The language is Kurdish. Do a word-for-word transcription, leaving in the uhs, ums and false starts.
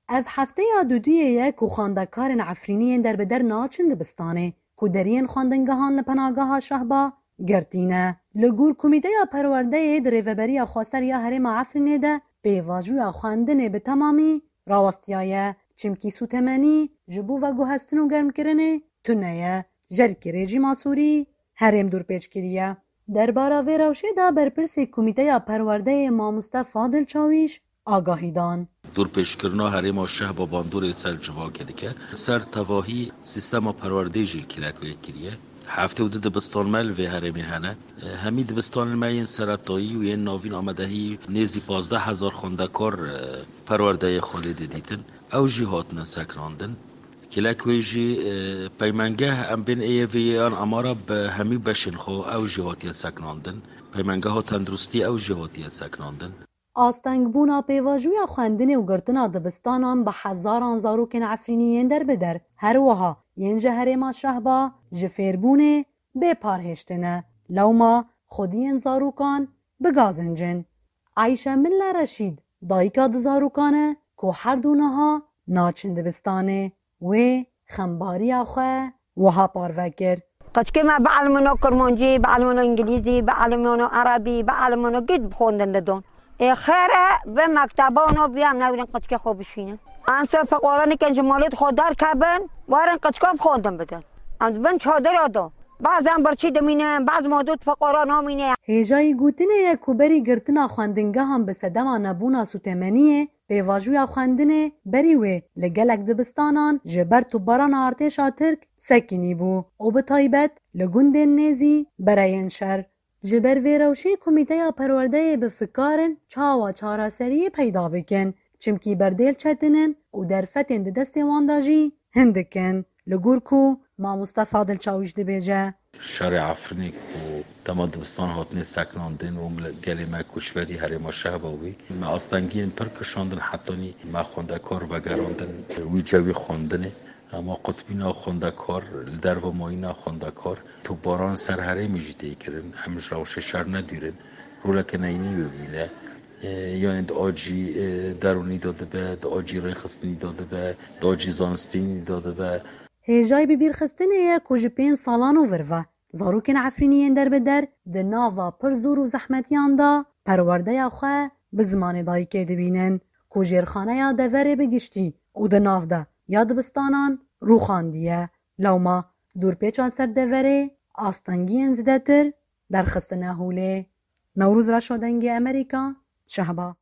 Ev hefteya duduyê ye ku xwendekarên Efrînî yên derbider naçin dibistanê, ku deriyên xwendingehan li penageha Şehba girtî ne. Li gor Komîteya Perwerdeyê di Rêveberiya Xweser ya Herêma Efrînê de pêvajoya xwendinê bi temamî rawestiyaye, çimkî sûtemenî ji bo veguhestin û germkirinê tune ye. Jerkê rejîma Sûrî herêm dorpêç kiriye. Derbara vê rewşê de berpirsê Komîteya Perwerdeyê mamoste Fadil Çawîş agahî dan. Dorpêçkirina herêma Şehba bandorê ser civakê dike. Ser tevahî sîstema perwerdeyê jî li Kilekê kiriye. Heftê û du dibistan me li vê herêmê hene. Hemî dibistanên me yên seretayî û yên navîn amadehî nêzî pazdeh hezar xwendekar, e, perwerdeyê xwe lê didîtin. Ew jî hatine sekinandin. Kilekê jî, e, peymengeh em bên ê yê vê yê an amara bi hemî beşên xwe ew jî hatiye sekinandin. Peymengeha tenduristî ew jî hatiye sekinandin. Astengbûna pêvajoya xwendinê û girtina dibistanan bi hezaran zarokên Efrînî yên derbider, her wiha yên ji herêma Şehba ji fêrbûnê bê parhêştine. Lewma xwediyên zarokan bi gazincin. Ayşe Milla Reşîd, dayika du zarokan e ku her du niha naçin dibistanê. Wê xembariya xwe wiha parve kir. Qeçkê me bielmino Kurmancî, bielmino Îngilîzî, bielmino Erebî, bielmino gît bixwendin didon. Ê xêr e, bi mektebano biyam newrin qeçkê xwe bişînin. Em ser feqara nikin ji malê xwe derkevin, werin qeçka bixwendin bidin. Em di bin çadira de. Bazan birçî dimînin, baz modût feqara namîne. Hêjayî gotinê ye ku berî girtina xwendingehan bi sedema nebûna sûtemeniyê, pêvajoya xwendinê berî wê li gelek dibistanan ji ber topbarana artêşa Tirk sekinî bû û bi taybet li gundên nêzî bereyên şer. Ji ber vê rewşê Komîteya Perwerdeyê bi fikar in çawa çareseriyê peyda bikin, çimkî berdêl çetin in û derfetên di destê wan de jî hindik in. Li gor ku mamoste Fadil Çawîş dibêje. Şerê Efrînê ku dema dibistan hatine sekinandin û mil-, gelê me koçberî herêma Şehba bû. Me astengiyên pir kişandin, hetanî me xwendekar vegerandin wî cewî xwendinê. Ema qutbîna xwendekar, li derva mayîna xwendekar, topbaran ser herêmê jî tê kirin. Em ji rewşê şer nedûrin. Roleke neyînî wê bîne. E, yanî di acî, e, derûnî de dibe, di acî rêxistinî de dibe, di acî zanistînî de dibe. Hêjayî bibîrxistinê ye ku ji pênc salan û vir ve zarokên Efrînî yên derbider di nava pir zor û zehmetiyan de perwerdeya xwe bi zimanê dayikê dibînin, ku jêrxaneya deverê bi giştî û di nav de ya dibistanan rûxandiye. Lewma dorpêçan ser deverê astengiyên zêdetir derxistine holê. Newroz Reşo, Dengê Amerîka, Şehba.